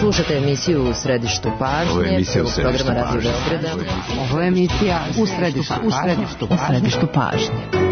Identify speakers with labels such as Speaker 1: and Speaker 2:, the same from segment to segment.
Speaker 1: Slušate emisiju U središtu pažnje, programa Radio Beograda.
Speaker 2: Ovo je emisija U središtu pažnje.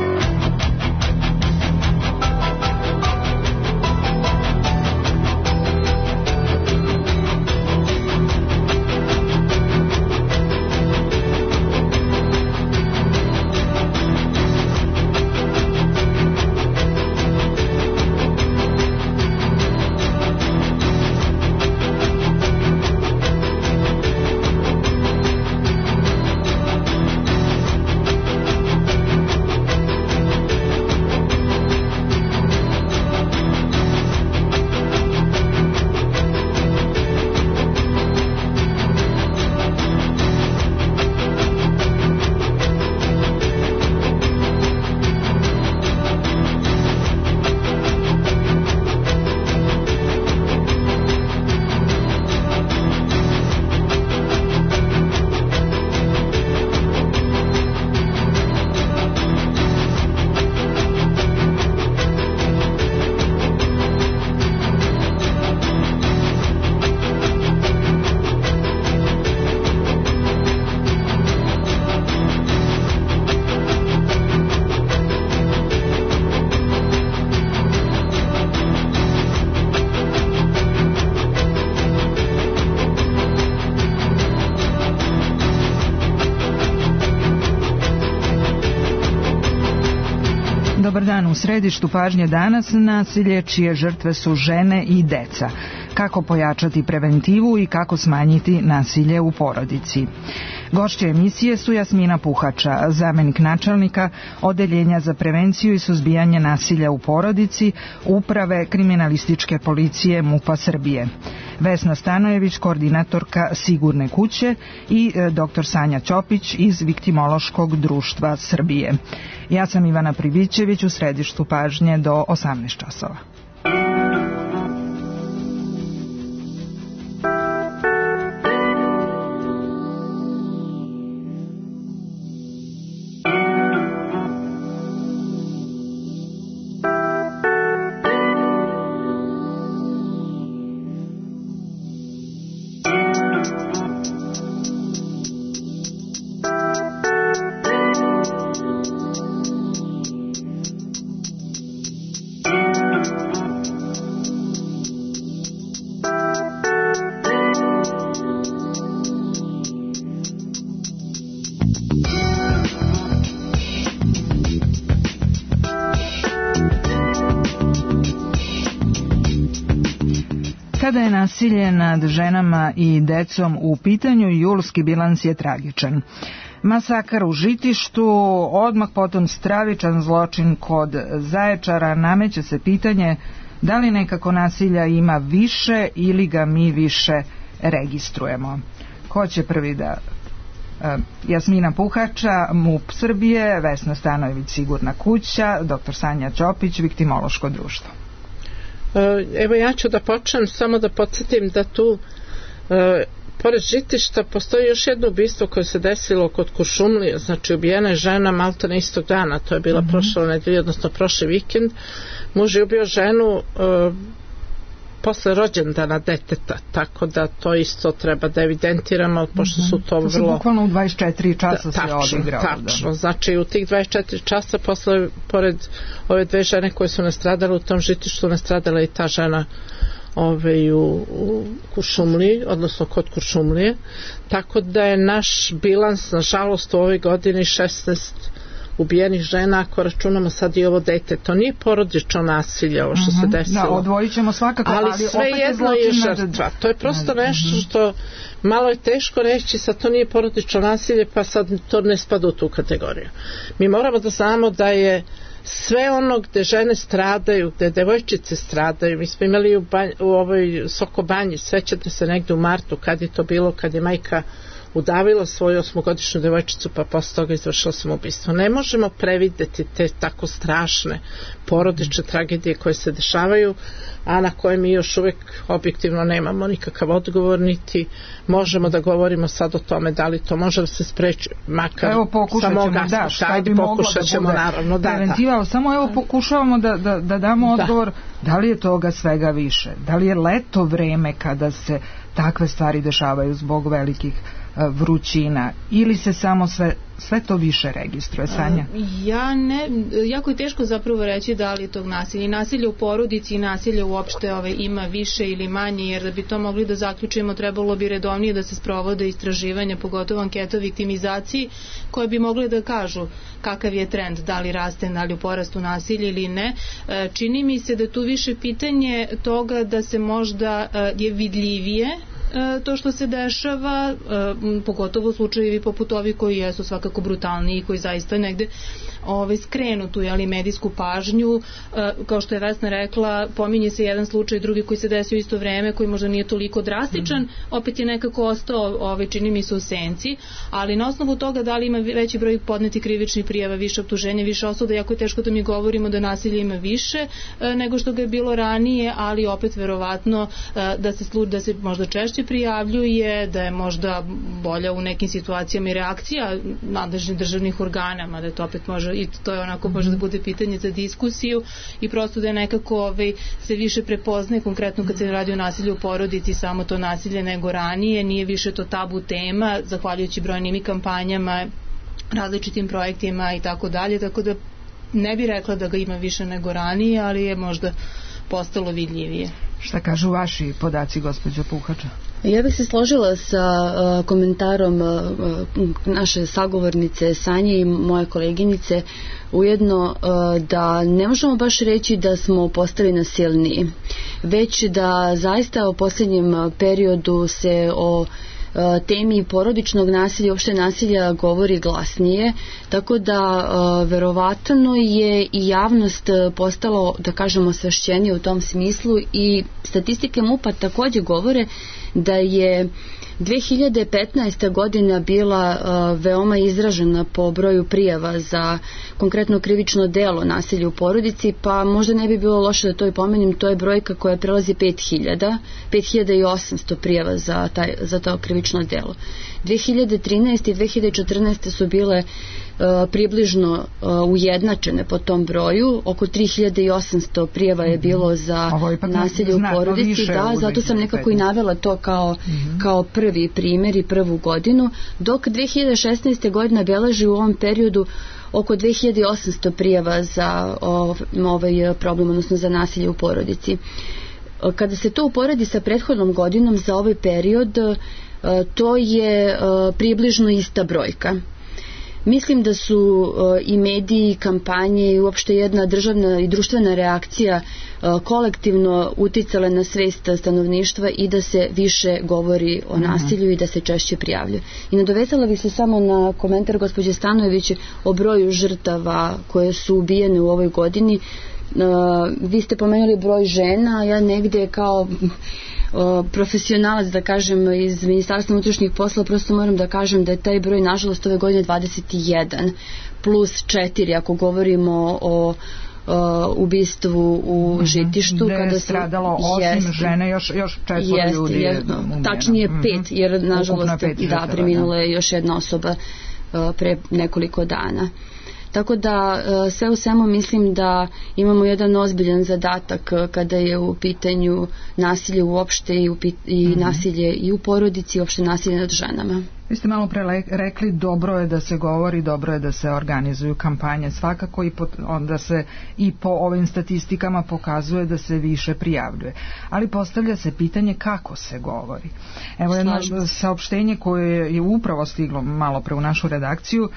Speaker 3: Dobar dan, u središtu pažnje danas nasilje čije žrtve su žene i deca. Kako pojačati preventivu i kako smanjiti nasilje u porodici. Gošće emisije su Jasmina Puhača, zamenik načelnika Odeljenja za prevenciju i suzbijanje nasilja u porodici Uprave kriminalističke policije MUP-a Srbije. Vesna Stanojević, koordinatorka Sigurne kuće i dr. Sanja Ćopić iz Viktimološkog društva Srbije. Ja sam Ivana Pribićević, u središtu pažnje do 18 časova. Kada je nasilje nad ženama i decom u pitanju, julski bilans je tragičan. Masakar u Žitištu, odmah potom stravičan zločin kod Zaječara. Nameće se pitanje da li nekako nasilja ima više ili ga mi više registrujemo. Ko će prvi da... Jasmina Puhača, MUP Srbije, Vesna Stanojević, Sigurna kuća, dr. Sanja Ćopić, Viktimološko društvo.
Speaker 4: Evo ja ću da počnem, samo da podsjetim da tu pored Žitišta postoji još jedno ubistvo koje se desilo kod Kuršumlije, znači ubijena je žena maltene istog dana, to je bila prošla nedelja, odnosno prošli vikend. Muž je ubio ženu posle rođendana deteta, tako da to isto treba da evidentiramo, pošto su to vrlo...
Speaker 3: To se bukvalno u 24 časa se odigrao.
Speaker 4: Tačno, znači u tih 24 časa posle, pored ove dve žene koje su nastradale u tom Žitištu, nastradala i ta žena u Kuršumliji, odnosno kod Kuršumlije, tako da je naš bilans, nažalost, u ovoj godini 16 ubijenih žena, ako računamo sad i ovo dete. To nije porodično nasilje, ovo što se desilo.
Speaker 3: Da, odvojit ćemo svakako,
Speaker 4: ali sve jedno je žrtva. To je prosto nešto što malo je teško reći, sad to nije porodično nasilje, pa sad to ne spada u tu kategoriju. Mi moramo da znamo da je sve ono gde žene stradaju, gde devojčice stradaju, mi smo imali u ovoj Sokobanji, svećate se negde u martu, kad je to bilo, kad je majka udavila svoju 8-godišnju devojčicu pa posle toga izvršila samoubistvo. Ne možemo prevideti te tako strašne porodične tragedije koje se dešavaju, a na koje mi još uvijek objektivno nemamo nikakav odgovor, niti možemo da govorimo sad o tome da li to može da se spreči, makar samo pokušat ćemo naravno
Speaker 3: preventiva, samo evo pokušavamo da damo odgovor da li je toga svega više, da li je leto vreme kada se takve stvari dešavaju zbog velikih vrućina ili se samo sve to više registruje. Sanja?
Speaker 5: Jako je teško zapravo reći da li tog nasilja. I nasilje u porodici i nasilje uopšte ima više ili manje, jer da bi to mogli da zaključimo trebalo bi redovnije da se sprovode istraživanja, pogotovo anketa o viktimizaciji, koje bi mogle da kažu kakav je trend, da li raste, da li u porastu nasilja ili ne. Čini mi se da je tu više pitanje toga da se možda je vidljivije to što se dešava, pogotovo slučajevi poput ovih koji jesu svakako brutalniji i koji zaista negde skrenu tu medijsku pažnju. Kao što je Vesna rekla, pominje se jedan slučaj, drugi koji se desio isto vreme, koji možda nije toliko drastičan, opet je nekako ostao, čini mi se, u senci, ali na osnovu toga da li ima veći broj podneti krivičnih prijava, više optuženja, više osuda, jako je teško da mi govorimo da nasilje ima više nego što ga je bilo ranije, ali opet verovatno da se možda češće prijavljuje, da je možda bolja u nekim situacijama i reakcija nadležnih državnih organa, mada to opet može i to je onako može da bude pitanje za diskusiju i prosto da je nekako se više prepoznaje konkretno kad se radi o nasilju u porodici, samo to nasilje nego ranije, nije više to tabu tema, zahvaljujući brojnim kampanjama, različitim projektima i tako dalje, tako da ne bi rekla da ga ima više nego ranije, ali je možda postalo vidljivije.
Speaker 3: Šta kažu vaši podaci, gospođo Puhača?
Speaker 6: Ja bih se složila sa komentarom naše sagovornice Sanje i moje koleginice, ujedno da ne možemo baš reći da smo postali nasilniji, već da zaista u posljednjem periodu se o temi porodičnog nasilja, uopšte nasilja govori glasnije, tako da verovatno je i javnost postalo, da kažemo, osvešćenije u tom smislu i statistike MUP-a također govore da je 2015. godina bila veoma izražena po broju prijava za konkretno krivično delo nasilja u porodici, pa možda ne bi bilo loše da to i pomenim, to je brojka koja prelazi 5800 prijava za to krivično delo. 2013. i 2014. su bile približno ujednačene po tom broju, oko 3800 prijava je bilo za nasilje u porodici, zato sam nekako i navela to kao prvi primjer i prvu godinu, dok 2016. godina beleži u ovom periodu oko 2800 prijava za ovaj problem, odnosno za nasilje u porodici. Kada se to uporedi sa prethodnom godinom za ovaj period, to je približno ista brojka. Mislim da su i mediji, kampanje i uopšte jedna državna i društvena reakcija kolektivno uticale na svest stanovništva i da se više govori o nasilju i da se češće prijavljuje. I nadovezala bih se samo na komentar gospođe Stanojević o broju žrtava koje su ubijene u ovoj godini. Vi ste pomenuli broj žena, ja negdje kao profesionalac, da kažem, iz Ministarstva unutrašnjih poslova, prosto moram da kažem da je taj broj nažalost ove godine 21 plus 4 ako govorimo o ubistvu u Žitištu.
Speaker 3: Gde je stradalo 8 žene, još 4 ljudi je umijeno.
Speaker 6: Tačnije 5, jer nažalost preminulo je još jedna osoba pre nekoliko dana. Tako da sve u svemu mislim da imamo jedan ozbiljan zadatak kada je u pitanju nasilje uopšte i nasilje i u porodici i uopšte nasilje nad ženama.
Speaker 3: Vi ste malo pre rekli dobro je da se govori, dobro je da se organizuju kampanje, svakako i onda se i po ovim statistikama pokazuje da se više prijavljuje. Ali postavlja se pitanje kako se govori. Evo jedno saopštenje koje je upravo stiglo malo pre u našu redakciju.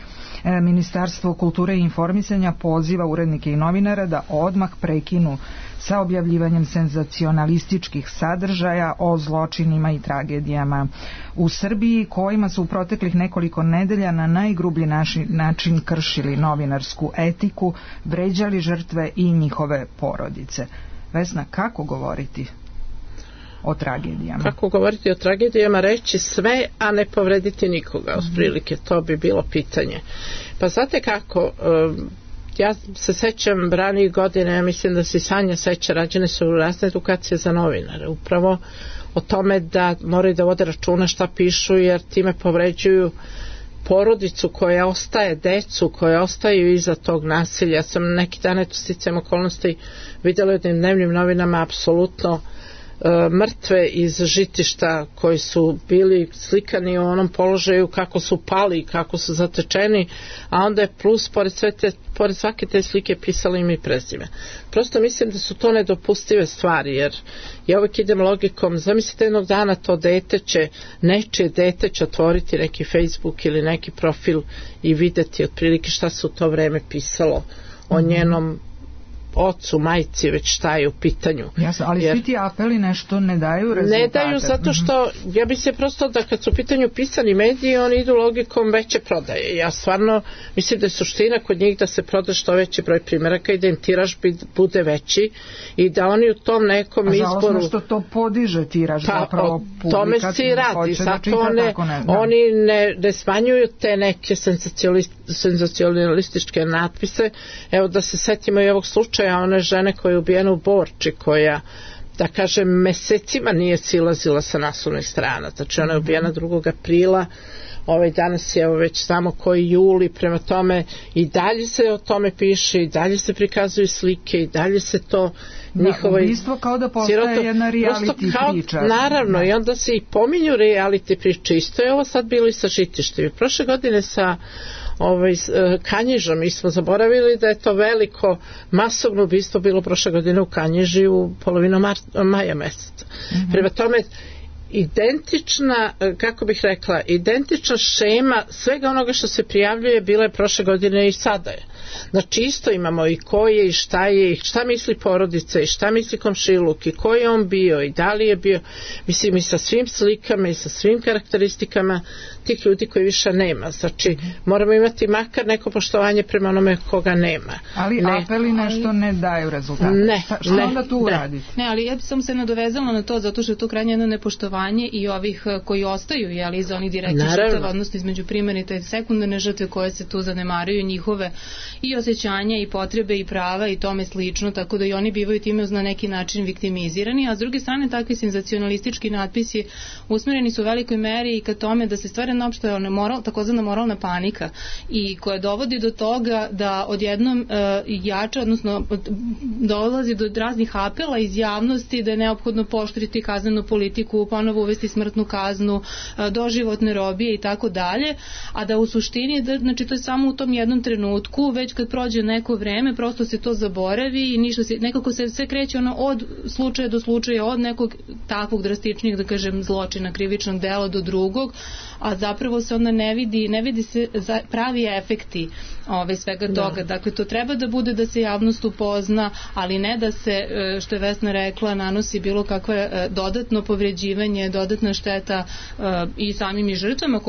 Speaker 3: Ministarstvo kulture i informisanja poziva urednike i novinare da odmah prekinu sa objavljivanjem senzacionalističkih sadržaja o zločinima i tragedijama u Srbiji, kojima su u proteklih nekoliko nedelja na najgrublji način kršili novinarsku etiku, vređali žrtve i njihove porodice. Vesna, kako govoriti? o tragedijama.
Speaker 4: Kako govoriti o tragedijama, reći sve, a ne povrediti nikoga, otprilike, to bi bilo pitanje. Pa znate kako, ja se sećam ranijih godina, ja mislim da se Sanja seća, rađene su razne edukacije za novinare, upravo o tome da moraju da vode računa šta pišu, jer time povređuju porodicu koja ostaje, decu koja ostaju iza tog nasilja. Ja sam neki dan, eto, sticajem okolnosti vidjela u jednim dnevnim novinama apsolutno mrtve iz Žitišta koji su bili slikani u onom položaju kako su pali, kako su zatečeni, a onda je plus pored svake te slike pisali im i prezime. Prosto mislim da su to nedopustive stvari, jer ja uvijek idem logikom, zamislite jednog dana to nečije dete će otvoriti neki Facebook ili neki profil i videti otprilike šta se u to vreme pisalo o njenom ocu, majci, već šta je u pitanju.
Speaker 3: Jasno, ali svi ti apeli nešto ne daju rezultate.
Speaker 4: Ne daju zato što, ja bi se prosto da kad su u pitanju pisani mediji, oni idu logikom veće prodaje. Ja stvarno mislim da je suština kod njih da se proda što veći broj primjeraka i da im tiraž bude veći i da oni u tom nekom izboru...
Speaker 3: Žalosno što to podiže tiraž zapravo publika.
Speaker 4: Tome se i radi. Zato oni ne smanjuju te neke senzacionalističke natpise. Evo da se setimo i ovog slučaja one žene koja je ubijena u Borči, koja, da kažem, mesecima nije silazila sa naslovnih strana. Znači ona je ubijena 2. aprila, danas je već znamo koji juli, prema tome i dalje se o tome piše, i dalje se prikazuju slike, i dalje se to njihovo...
Speaker 3: Ubistvo kao da postaje jedna reality priča.
Speaker 4: Naravno, i onda se i pominju reality priče. Isto je ovo sad bilo i sa Žitištem. Prošle godine sa Kanjižom, mi smo zaboravili da je to veliko masovno ubistvo bilo prošle godine u Kanjiži u polovinu maja meseca. Prema tome, identična, kako bih rekla, identična šema svega onoga što se prijavljuje bila je prošle godine i sada je. Znači isto imamo i ko je i šta je, i šta misli porodica i šta misli komšiluk i ko je on bio i da li je bio, mislim i sa svim slikama i sa svim karakteristikama tih ljudi koji više nema. Znači moramo imati makar neko poštovanje prema onome koga nema.
Speaker 3: Ali apeli nešto ne daju rezultate. Šta onda tu uraditi?
Speaker 5: Ne, ali ja bi sam se nadovezala na to zato što je to krajnje jedno nepoštovanje i ovih koji ostaju, jeli, za onih direktnih žrtava, odnosno između primarne i sekundarne žrtve koje se tu zanemaruju, njihove i osjećanja i potrebe i prava i tome slično, tako da i oni bivaju time na neki način viktimizirani, a s druge strane takvi senzacionalistički natpisi usmjereni su u velikoj meri i ka tome da se stvara opšte takozvana moralna panika i koja dovodi do toga da odjednom jača, odnosno dolazi do raznih apela iz javnosti da je neophodno pooštriti kaznenu politiku, ponovo uvesti smrtnu kaznu, doživotne robije i tako dalje, a da u suštini, znači to je samo u tom jednom trenutku, već kad prođe neko vreme, prosto se to zaboravi i ništa se, nekako se sve kreće od slučaja do slučaja, od nekog takvog drastičnijeg, da kažem, zločina, krivičnog dela do drugog, a zapravo se onda ne vidi se pravi efekti svega toga. Dakle, to treba da bude da se javnost upozna, ali ne da se, što je Vesna rekla, nanosi bilo kakve dodatno povređivanje, dodatna šteta i samim i žrtvama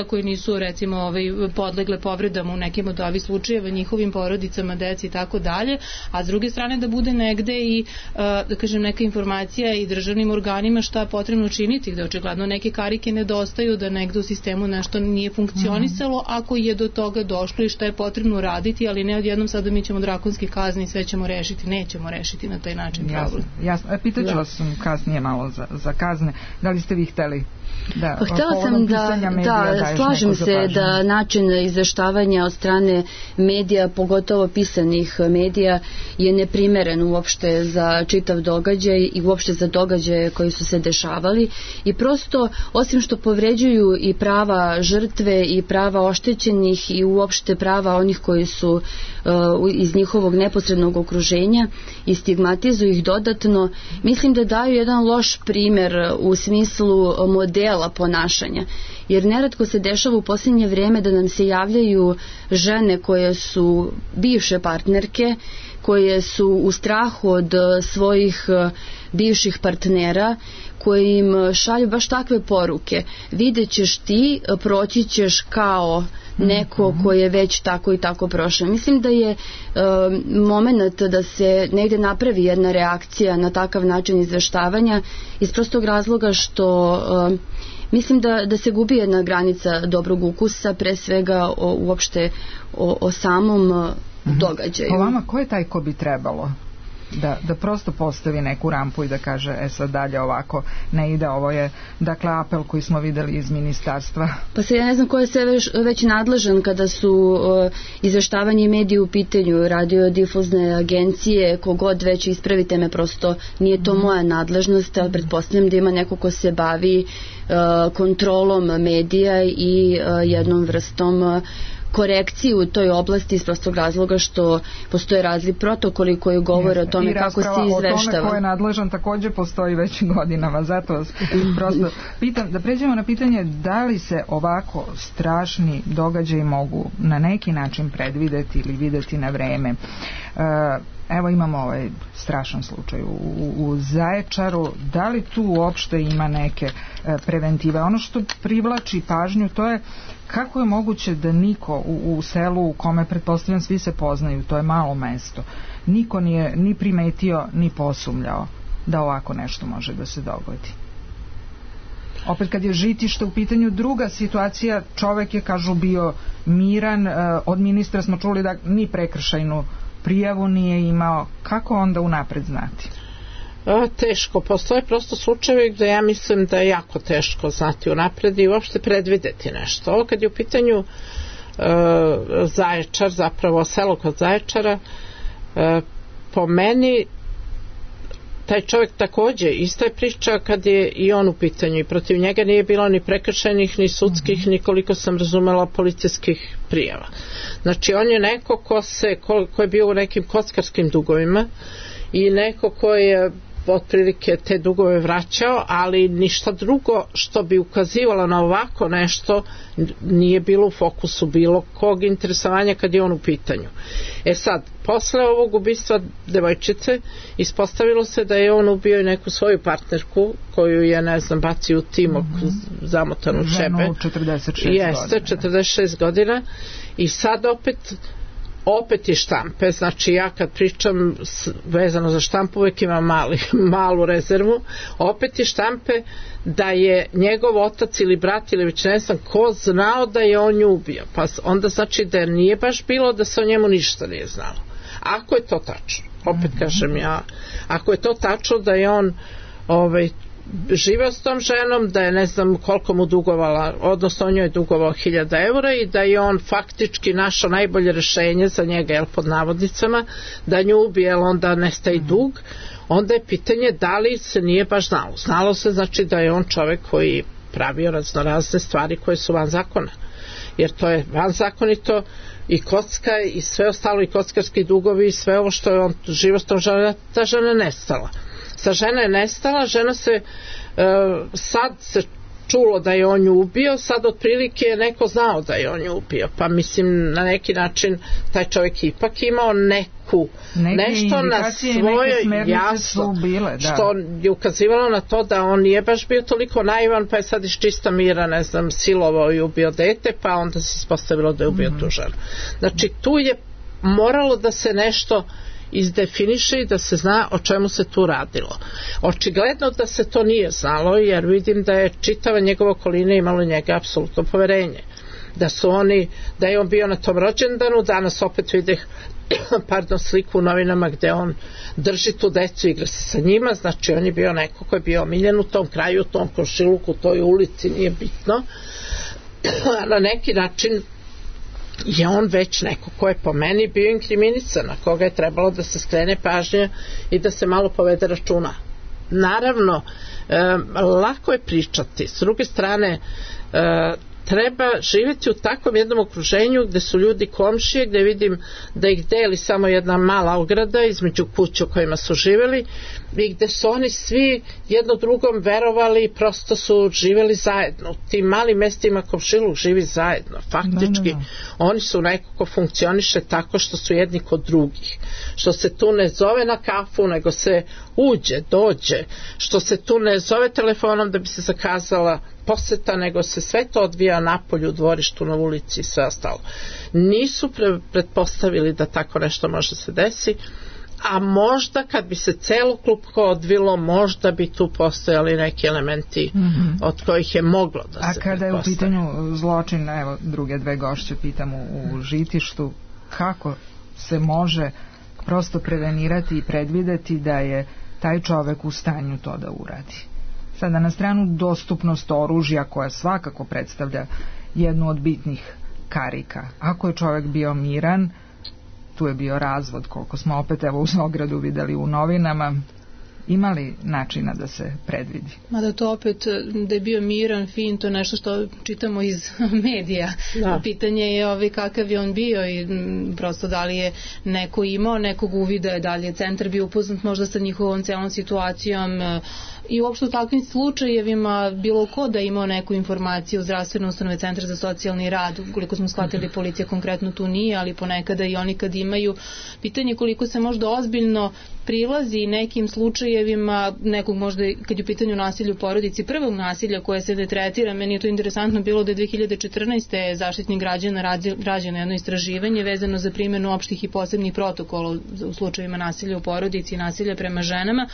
Speaker 5: koji nisu recimo podlegle povredama u nekim od ovih slučajeva, njihovim porodicama, deci i tako dalje, a s druge strane da bude negde i da kažem neka informacija i državnim organima šta je potrebno učiniti, gde očigledno neke karike nedostaju, da negde u sistemu nešto nije funkcionisalo, ako je do toga došlo i šta je potrebno raditi, ali ne odjednom sada mi ćemo drakonski kazni i sve ćemo rešiti, nećemo rešiti na taj način problem.
Speaker 3: Jasno. Pitaću vas kasnije malo za kazne. Da li ste vi hteli?
Speaker 6: Htela sam da slažem se da način izveštavanja od strane medija, pogotovo pisanih medija, je neprimeren uopšte za čitav događaj i uopšte za događaje koji su se dešavali i prosto, osim što povređuju i prava žrtve i prava oštećenih i uopšte prava onih koji su iz njihovog neposrednog okruženja i stigmatizuju ih dodatno, mislim da daju jedan loš primer u smislu modela ponašanja. Jer neretko se dešava u posljednje vrijeme da nam se javljaju žene koje su bivše partnerke, koje su u strahu od svojih bivših partnera, koji im šalju baš takve poruke. Vidjet ćeš ti, proći ćeš kao neko ko je već tako i tako prošao. Mislim da je moment da se negde napravi jedna reakcija na takav način izveštavanja iz prostog razloga što mislim da se gubi jedna granica dobrog ukusa, pre svega uopšte o samom događaju.
Speaker 3: Po vama, ko je taj ko bi trebalo da prosto postavi neku rampu i da kaže sad dalje ovako ne ide, ovo je dakle apel koji smo videli iz ministarstva?
Speaker 6: Pa se ja ne znam ko je sve već nadležan kada su izveštavanje i mediji u pitanju, radiodifuzne agencije, kogod već, ispravite me, prosto nije to moja nadležnost, ali pretpostavljam da ima neko ko se bavi kontrolom medija i jednom vrstom korekciji u toj oblasti iz prostog razloga što postoje razni protokoli koji govore o tome kako se izveštava. I rasprava o tome ko je
Speaker 3: nadležan takođe postoji već godinama, zato vas prosto pitam, da pređemo na pitanje da li se ovako strašni događaji mogu na neki način predvideti ili videti na vreme. Evo imamo ovaj strašan slučaj u Zaječaru, da li tu uopšte ima neke preventive? Ono što privlači pažnju to je kako je moguće da niko u selu u kome pretpostavljam svi se poznaju, to je malo mesto, niko nije ni primetio ni posumljao da ovako nešto može da se dogodi. Opet kad je žitište u pitanju druga situacija, čovek je, kažu, bio miran, od ministra smo čuli da ni prekršajnu prijavu nije imao. Kako onda unapred znati?
Speaker 4: Teško, postoje prosto slučajevi gde ja mislim da je jako teško znati unapred i uopšte predvideti nešto. Ovo kad je u pitanju Zaječar, zapravo selo kod Zaječara, po meni taj čovjek takođe, ista je priča kad je i on u pitanju i protiv njega nije bilo ni prekršajnih, ni sudskih, ni koliko sam razumela policijskih prijava. Znači on je neko ko je bio u nekim kockarskim dugovima i neko ko je otprilike te dugove vraćao, ali ništa drugo što bi ukazivalo na ovako nešto nije bilo u fokusu bilo kog interesovanja kad je on u pitanju. Sad, posle ovog ubistva devojčice ispostavilo se da je on ubio i neku svoju partnerku koju je, ne znam, bacio u timok zamotanu u čebe.
Speaker 3: Ženu 46
Speaker 4: Jeste, 46 godina i sad opet je štampe, znači ja kad pričam vezano za štampu uvek imam malu rezervu, opet je štampe da je njegov otac ili brat ili već ne znam ko znao da je on nju ubio, pa onda znači da nije baš bilo da se o njemu ništa nije znalo. Ako je to tačno, opet kažem ja, ako je to tačno da je on živeo s tom ženom, da je ne znam koliko mu dugovala, odnosno on njoj je dugovao 1000 eura i da je on faktički našao najbolje rešenje za njega, pod navodnicama, da nju ubije, onda nestaje dug, onda je pitanje da li se nije baš znalo. Znalo se znači da je on čovek koji pravio raznorazne stvari koje su van zakona, jer to je van zakonito i kocka i sve ostalo i kockarski dugovi i sve ovo što je on živo s tom ženom, ta žena je nestala. Sa žena je nestala, žena se sad se čulo da je on nju ubio, sad otprilike je neko znao da je on nju ubio, pa mislim na neki način taj čovjek ipak imao nešto na svojoj jasno što je ukazivalo na to da on nije baš bio toliko naivan, pa je sad iz čista mira, ne znam, silovao i ubio dete, pa onda se ispostavilo da je ubio tu ženu. Znači tu je moralo da se nešto izdefiniše i da se zna o čemu se tu radilo. Očigledno da se to nije znalo, jer vidim da je čitava njegova okolina imalo njega apsolutno poverenje. Da je on bio na tom rođendanu, danas opet videh sliku u novinama gde on drži tu decu i igra se sa njima, znači on je bio neko ko je bio omiljen u tom kraju, u tom komšiluku, u toj ulici, nije bitno. Na neki način je on već neko ko je po meni bio inkriminisan, na koga je trebalo da se skrene pažnja i da se malo povede računa. Naravno, lako je pričati. S druge strane, treba živjeti u takvom jednom okruženju gde su ljudi komšije, gde vidim da ih deli samo jedna mala ograda između kuća u kojima su živjeli i gde su oni svi jedno drugom verovali i prosto su živjeli zajedno. U tim malim mestima komšiluk živi zajedno. Faktički oni su nekako funkcioniše tako što su jedni kod drugih. Što se tu ne zove na kafu, nego se uđe, dođe. Što se tu ne zove telefonom da bi se zakazala poseta, nego se sve to odvija napolju, u dvorištu, na ulici i sve ostalo. Nisu pretpostavili da tako nešto može se desi, a možda kad bi se celokupno odvilo, možda bi tu postojali neki elementi od kojih je moglo da se pretpostavi.
Speaker 3: A kada je u pitanju zločin, evo druge dve gošće pitam u Žitištu, kako se može prosto prevenirati i predvideti da je taj čovek u stanju to da uradi? Sada na stranu dostupnost oružja koja svakako predstavlja jednu od bitnih karika. Ako je čovek bio miran, tu je bio razvod, koliko smo opet evo u Zogradu videli u novinama, imali načina da se predvidi?
Speaker 5: Mada to opet, da je bio miran, fin, to nešto što čitamo iz medija. Da. Pitanje je kakav je on bio i prosto da li je neko imao nekog uvida, da li je centar bio upoznat možda sa njihovom celom situacijom i uopšte u takvim slučajevima bilo ko da imao neku informaciju u zdravstvene ustanove, centar za socijalni rad, koliko smo shvatili policija konkretno tu nije, ali ponekada i oni kad imaju, pitanje koliko se možda ozbiljno prilazi nekim slučajevima nekog možda kad je u pitanju nasilja u porodici, prvog nasilja koje se ne tretira. Meni je to interesantno bilo da je 2014. Zaštitnik građana rađeno jedno istraživanje vezano za primjenu opštih i posebnih protokola u slučajevima nasilja u porodici i nasilja prema ženama,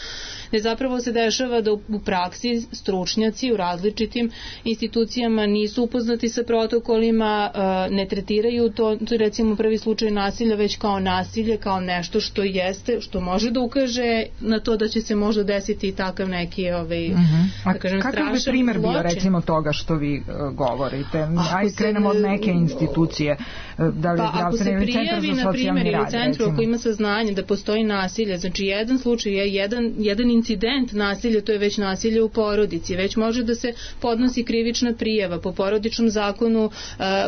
Speaker 5: gde zapravo se dešava da u praksi stručnjaci u različitim institucijama nisu upoznati sa protokolima, ne tretiraju to recimo prvi slučaj nasilja već kao nasilje, kao nešto što jeste, što može da ukaže na to da će se možda desiti i takav neki da kažem,
Speaker 3: kakav bi primjer bio recimo toga što vi govorite? Ajde krenemo od neke institucije, da li zdravstveni ili centar za socijalni rad,
Speaker 5: u centru ako ima saznanje da postoji nasilje, znači jedan slučaj je jedan incident nasilja, to je već nasilje u porodici, već može da se podnosi krivična prijava po porodičnom zakonu,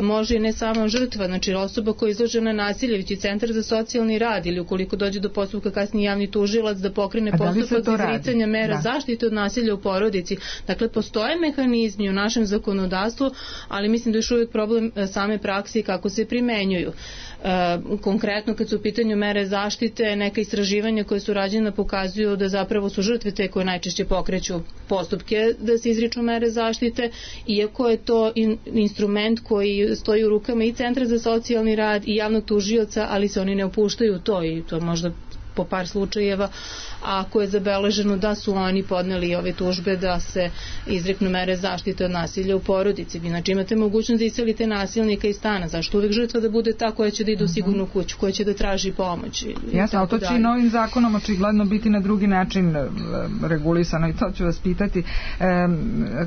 Speaker 5: može i ne sama žrtva, znači osoba koja je izložena nasilju, već i centar za socijalni rad ili ukoliko dođe do postupka kasnije javni tužilac da pokrene postupak za izricanje mera zaštite od nasilja u porodici. Dakle, postoje mehanizmi u našem zakonodavstvu, ali mislim da je još uvijek problem same prakse i kako se primenjuju. Konkretno kad su u pitanju mere zaštite, neka istraživanja koje su rađena pokazuju da zapravo su žrtve te koje najčešće pokreću postupke da se izriču mere zaštite, iako je to instrument koji stoji u rukama i centra za socijalni rad i javnog tužioca, ali se oni ne upuštaju u to i to možda po par slučajeva, ako je zabeleženo da su oni podneli ove tužbe da se izreknu mere zaštite od nasilja u porodici. Znači imate mogućnost da iselite nasilnika iz stana. Zašto uvek žrtva da bude ta koja će da ide u sigurnu kuću, koja će da traži pomoć?
Speaker 3: Jasno, ali to će i novim zakonom očigledno biti na drugi način regulisano i to ću vas pitati.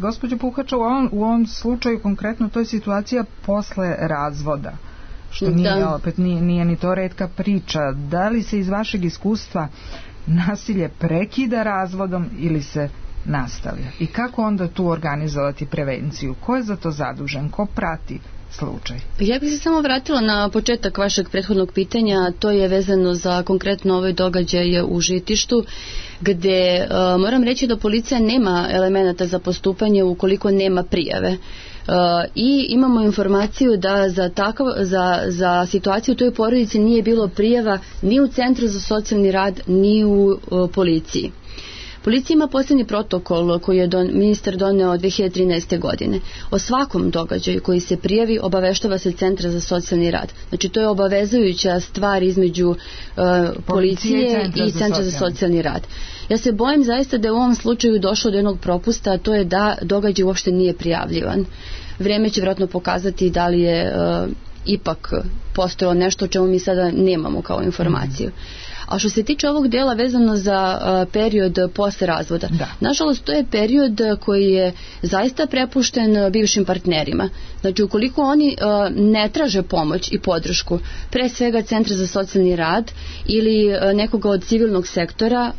Speaker 3: Gospođo Puhača, u ovom slučaju konkretno to je situacija posle razvoda, što nije ni to retka priča. Da li se iz vašeg iskustva nasilje prekida razvodom ili se nastavlja? I kako onda tu organizovati prevenciju? Ko je za to zadužen? Ko prati slučaj?
Speaker 6: Ja bih se samo vratila na početak vašeg prethodnog pitanja, to je vezano za konkretno ovaj događaj u Žitištu, gde moram reći da policija nema elemenata za postupanje ukoliko nema prijave. I imamo informaciju da za situaciju u toj porodici nije bilo prijava ni u Centru za socijalni rad, ni u policiji. Policija ima posebni protokol koji je ministar doneo 2013. godine. O svakom događaju koji se prijavi obaveštava se Centra za socijalni rad. Znači to je obavezujuća stvar između policije i Centra za socijalni rad. Ja se bojim zaista da je u ovom slučaju došlo do jednog propusta, a to je da događaj uopšte nije prijavljivan. Vreme će vjerojatno pokazati da li je ipak postojalo nešto o čemu mi sada nemamo kao informaciju. A što se tiče ovog dela vezano za period posle razvoda, nažalost to je period koji je zaista prepušten bivšim partnerima. Znači ukoliko oni ne traže pomoć i podršku, pre svega Centra za socijalni rad ili nekoga od civilnog sektora,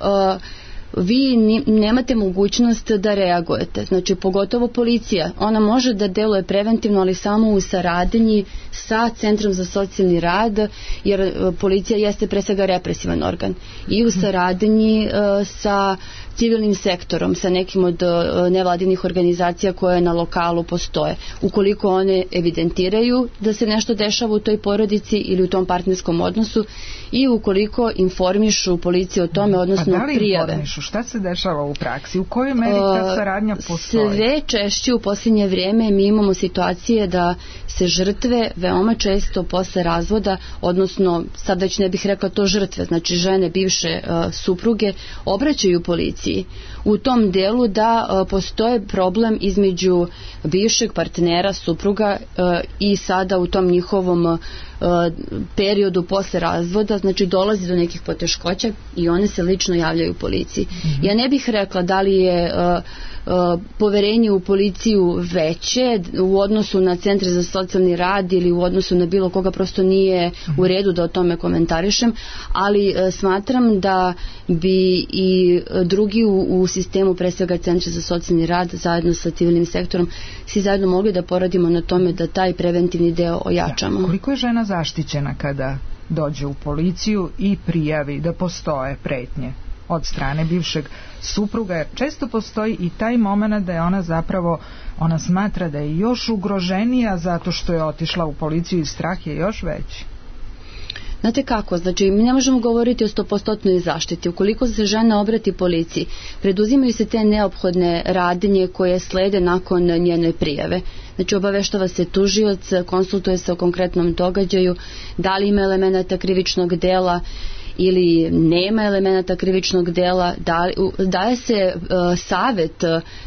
Speaker 6: vi nemate mogućnost da reagujete. Znači, pogotovo policija, ona može da deluje preventivno, ali samo u saradnji sa Centrom za socijalni rad, jer policija jeste pre svega represivan organ, i u saradnji sa civilnim sektorom, sa nekim od nevladinih organizacija koje na lokalu postoje. Ukoliko one evidentiraju da se nešto dešava u toj porodici ili u tom partnerskom odnosu, i ukoliko informišu policiju o tome, odnosno prijave.
Speaker 3: A da li informišu? Šta se dešava u praksi? U kojoj meri ta saradnja postoji?
Speaker 6: Sve češće u posljednje vrijeme mi imamo situacije da se žrtve veoma često posle razvoda, odnosno sad već ne bih rekla to žrtve, znači žene bivše supruge, obraćaju policiji u tom delu da postoje problem između bivšeg partnera, supruga, i sada u tom njihovom periodu posle razvoda, znači dolazi do nekih poteškoća i one se lično javljaju policiji. Ja ne bih rekla da li je poverenje u policiju veće u odnosu na centre za socijalni rad ili u odnosu na bilo koga, prosto nije u redu da o tome komentarišem, ali smatram da bi i drugi u sistemu, pre svega centra za socijalni rad, zajedno sa civilnim sektorom, svi zajedno mogli da poradimo na tome da taj preventivni deo ojačamo.
Speaker 3: Koliko je žena zaštićena kada dođe u policiju i prijavi da postoje pretnje od strane bivšeg supruga, jer često postoji i taj moment da je ona zapravo, ona smatra da je još ugroženija zato što je otišla u policiju i strah je još veći.
Speaker 6: Znate kako, znači mi ne možemo govoriti o 100% zaštiti. Ukoliko se žena obrati policiji, preduzimaju se te neophodne radnje koje slede nakon njene prijave. Znači obaveštava se tužioc, konsultuje se o konkretnom događaju, da li ima elemenata krivičnog dela ili nema elemenata krivičnog dela, daje se savjet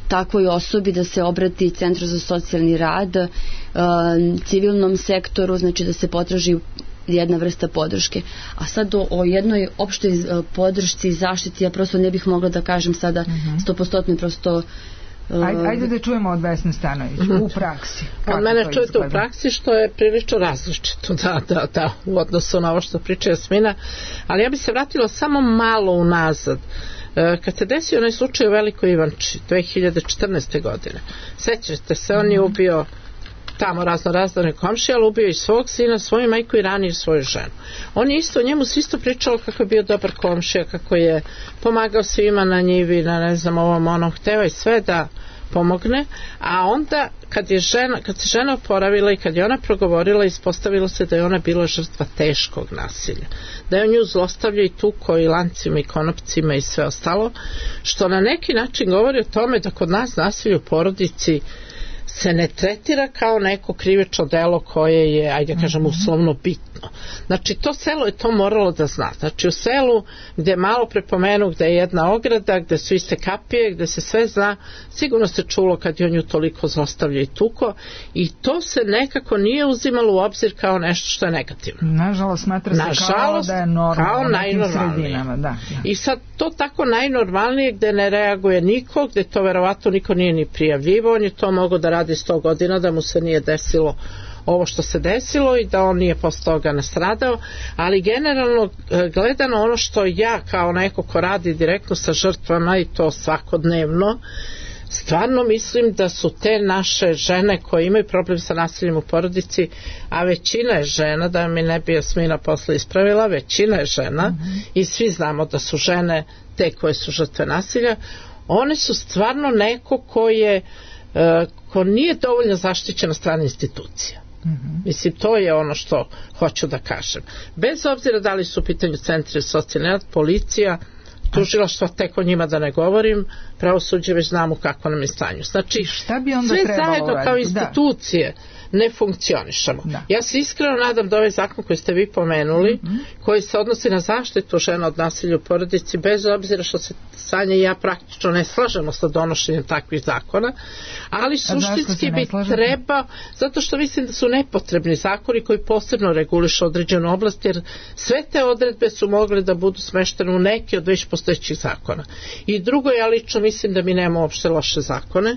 Speaker 6: takvoj osobi da se obrati Centru za socijalni rad, civilnom sektoru, znači da se potraži jedna vrsta podrške. A sad o jednoj opštoj podršci i zaštiti ja prosto ne bih mogla da kažem sada 100% prosto.
Speaker 3: Ajde da čujemo od Vesne Stanović u praksi.
Speaker 4: Od mene čujete u praksi što je prilično različito da, u odnosu na ovo što priča Jasmina, ali ja bi se vratila samo malo unazad. Kad se desio onaj slučaj u Velikoj Ivanči 2014. godine, sećate se, on je ubio tamo razne komšije, ali ubio i svog sina, svoju majku i ranije svoju ženu. On je isto, njemu se isto pričalo kako je bio dobar komšija, kako je pomagao svima na njivi, na ne znam ovom onom, hteo i sve da pomogne, a onda kad se žena oporavila i kad je ona progovorila, ispostavilo se da je ona bila žrtva teškog nasilja, da je on nju zlostavljao i tuko i lancima i konopcima i sve ostalo, što na neki način govori o tome da kod nas nasilje u porodici se ne tretira kao neko krivično delo koje je, ajde kažem, uslovno bitno. Znači, to selo je to moralo da zna. Znači, u selu gde malo prepomenu, gde je jedna ograda, gde su iste kapije, gde se sve zna, sigurno se čulo kad je on ju toliko zlostavlja i tuko, i to se nekako nije uzimalo u obzir kao nešto što je negativno.
Speaker 3: Nažalost, smatra se kao da je normalno u nekim sredinama. Da.
Speaker 4: I sad to tako najnormalnije gde ne reaguje niko, gde to verovatno niko nije ni prijavljivo, on je to mogao da radi 100 godina, da mu se nije desilo ovo što se desilo i da on nije posle toga nastradao, ali generalno gledano, ono što ja kao neko ko radi direktno sa žrtvama i to svakodnevno, stvarno mislim da su te naše žene koje imaju problem sa nasiljem u porodici, a većina je žena, da mi ne bi Jasmina posle ispravila, većina je žena i svi znamo da su žene te koje su žrtve nasilja, one su stvarno neko ko nije dovoljno zaštićen na strane institucija. Mislim, to je ono što hoću da kažem. Bez obzira da li su u pitanju centri za socijalni rad, policija, tužilaštvo, tek o njima da ne govorim, pravosuđe već znamo kako nam je stanje. Znači, sve zajedno kao institucije ne funkcionišemo. Ja se iskreno nadam da ovaj zakon koji ste vi pomenuli, koji se odnosi na zaštitu žena od nasilja u porodici, bez obzira što se Sanja i ja praktično ne slažemo sa donošenjem takvih zakona, ali suštinski bi trebao, zato što mislim da su nepotrebni zakoni koji posebno regulišu određenu oblast, jer sve te odredbe su mogle da budu smeštene u neke od već postojećih zakona. I drugo, ja lično mislim da mi nemamo uopšte loše zakone,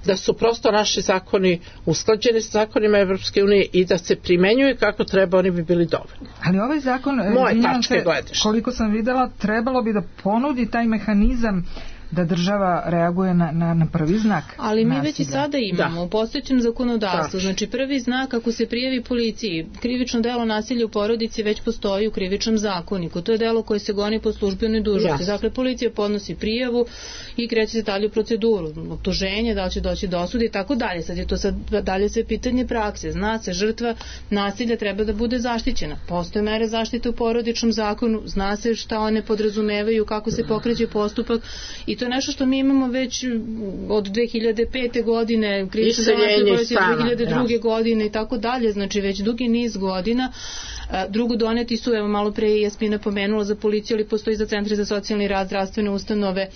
Speaker 4: da su prosto naši zakoni usklađeni sa zakonima zakonima Evropske unije i da se primenjuje kako treba, oni bi bili dovoljni.
Speaker 3: Ali ovaj zakon, koliko sam videla, trebalo bi da ponudi taj mehanizam da država reaguje na prvi znak.
Speaker 5: Ali mi već i sada imamo u postojećem zakonodavstvu. Znači prvi znak ako se prijavi policiji, krivično delo nasilja u porodici već postoji u krivičnom zakoniku. To je delo koje se goni po službenoj dužnosti. Dakle, policija podnosi prijavu i kreće se dalje u proceduru. Optuženje, da li će doći do osude i tako dalje. Sad je to dalje sve pitanje prakse. Zna se, žrtva nasilja treba da bude zaštićena. Postoje mere zaštite u porodičnom zakonu, zna se šta one podrazumevaju, kako se pokreće postupak i to je nešto što mi imamo već od 2005. godine, krivično delo nasilja 2002. godine i tako dalje, znači već dugi niz godina. Drugo, doneti su, evo malo pre je Jasmina pomenula za policiju, ali postoji za centre za socijalni rad, zdravstvene ustanove,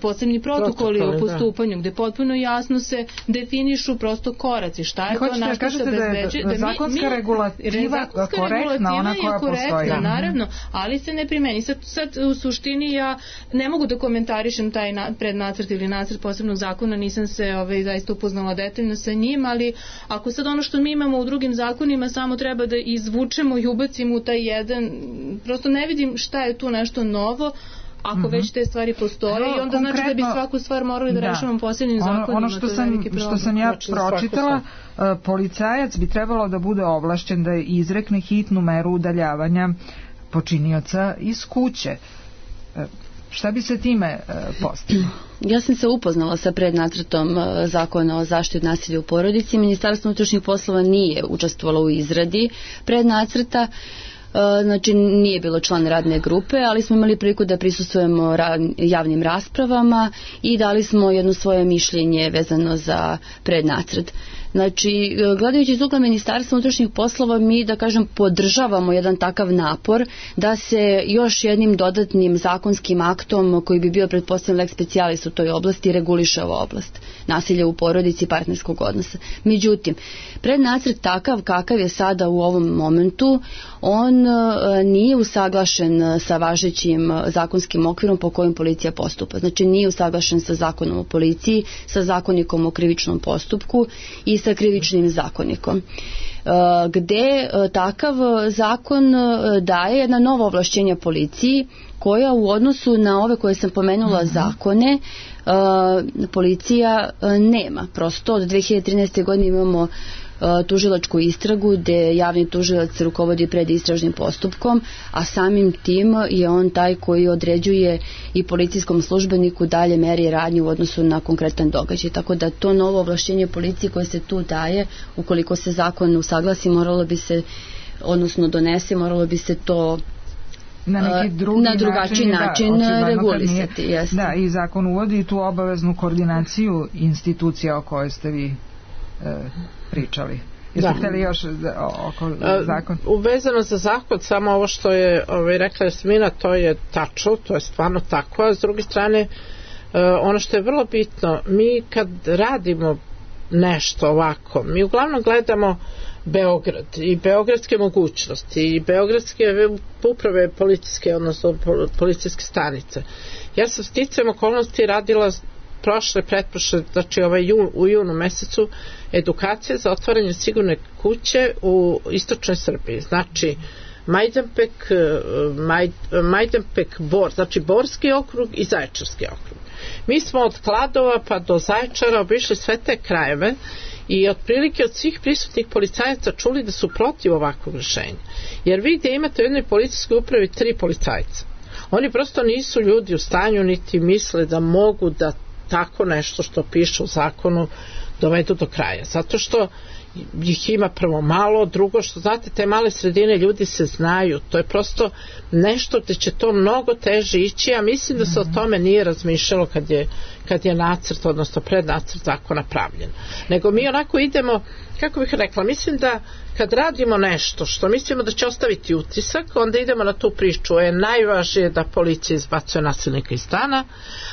Speaker 5: posebni protokoli o postupanju, gde potpuno jasno se definišu prosto koraci, šta je to, na što se obezbeđuje.
Speaker 3: Zakonska regulativa korektna, ona koja postoji.
Speaker 5: Naravno, ali se ne primeni. Sad u suštini ja ne mogu da komentarišem taj prednacrt ili nacrt posebnog zakona, nisam se zaista upoznala detaljno sa njim, ali ako sad ono što mi imamo u drugim zakonima samo treba da izvučemo i ubacimo u taj jedan, prosto ne vidim šta je tu nešto novo, ako već te stvari postoje i onda znači da bi svaku stvar morali da rešavamo posebnim zakonima.
Speaker 3: Ono što sam ja pročitala, policajac bi trebalo da bude ovlašćen da izrekne hitnu meru udaljavanja počinioca iz kuće. Šta bi se time postiglo?
Speaker 6: Ja sam se upoznala sa prednacrtom zakona o zaštiti od nasilja u porodici. Ministarstvo unutrašnjih poslova nije učestvovalo u izradi prednacrta, znači nije bilo član radne grupe, ali smo imali priliku da prisustvujemo javnim raspravama i dali smo jedno svoje mišljenje vezano za prednacrt. Znači, gledajući iz ugla Ministarstva unutrašnjih poslova, mi, da kažem, podržavamo jedan takav napor da se još jednim dodatnim zakonskim aktom koji bi bio pretpostavljen lex specialis u toj oblasti reguliše ova oblast nasilja u porodici i partnerskog odnosa. Međutim, prednacrt takav kakav je sada u ovom momentu, on nije usaglašen sa važećim zakonskim okvirom po kojim policija postupa. Znači, nije usaglašen sa zakonom o policiji, sa zakonikom o krivičnom postupku i sa krivičnim zakonikom, gde takav zakon daje jedna nova ovlašćenja policiji koja u odnosu na ove koje sam pomenula zakone policija nema. Prosto od 2013. godine imamo tužilačku istragu gde javni tužilac rukovodi predistražnim postupkom, a samim tim je on taj koji određuje i policijskom službeniku dalje mere i radnje u odnosu na konkretan događaj. Tako da to novo ovlašćenje policije koje se tu daje, ukoliko se zakon usaglasi, moralo bi se, odnosno donese, moralo bi se to
Speaker 3: na
Speaker 6: drugačiji način regulisati.
Speaker 3: Da, i zakon uvodi tu obaveznu koordinaciju institucija o kojoj ste vi pričali. Jeste htjeli još oko zakon?
Speaker 4: Uvezano za zakon, samo ovo što je rekla Jasmina, to je tačno, to je stvarno tako, a s druge strane ono što je vrlo bitno, mi kad radimo nešto ovako, mi uglavnom gledamo Beograd i beogradske mogućnosti i beogradske uprave policijske, odnosno policijske stanice. Ja sam sticajem okolnosti radila pretprošle, znači u junu mesecu edukacije za otvaranje sigurne kuće u istočnoj Srbiji. Znači Majdanpek, Bor, znači Borski okrug i Zaječarski okrug. Mi smo od Kladova pa do Zaječara obišli sve te krajeve i otprilike od svih prisutnih policajaca čuli da su protiv ovakvog rješenja. Jer vi gdje imate u jednoj policijskoj upravi 3 policajca. Oni prosto nisu ljudi u stanju niti misle da mogu da tako nešto što piše u zakonu dovedu do kraja. Zato što ih ima prvo malo, drugo što znate, te male sredine ljudi se znaju, to je prosto nešto gdje će to mnogo teže ići, a mislim da se o tome nije razmišljalo kad je nacrt, odnosno prednacrt zakona pravljen. Nego mi onako idemo, kako bih rekla, mislim da kad radimo nešto što mislimo da će ostaviti utisak, onda idemo na tu priču. Je najvažnije da policija izbacuje nasilnika iz stana,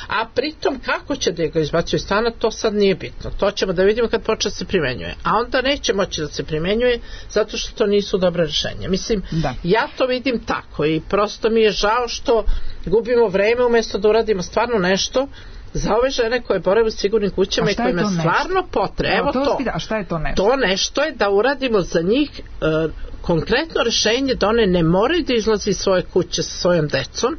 Speaker 4: a pritom kako će da ga izbacuje iz stana, to sad nije bitno. To ćemo da vidimo kad počne se primenjuje. A onda neće moći da se primenjuje zato što to nisu dobre rješenja. Mislim, ja to vidim tako i prosto mi je žao što gubimo vreme umjesto da uradimo stvarno nešto za ove žene koje borave u sigurnim kućama i kojima je stvarno potreba. Evo to.
Speaker 3: A šta je to nešto?
Speaker 4: To nešto je da uradimo za njih konkretno rešenje da one ne moraju da izlazi iz svoje kuće sa svojom decom,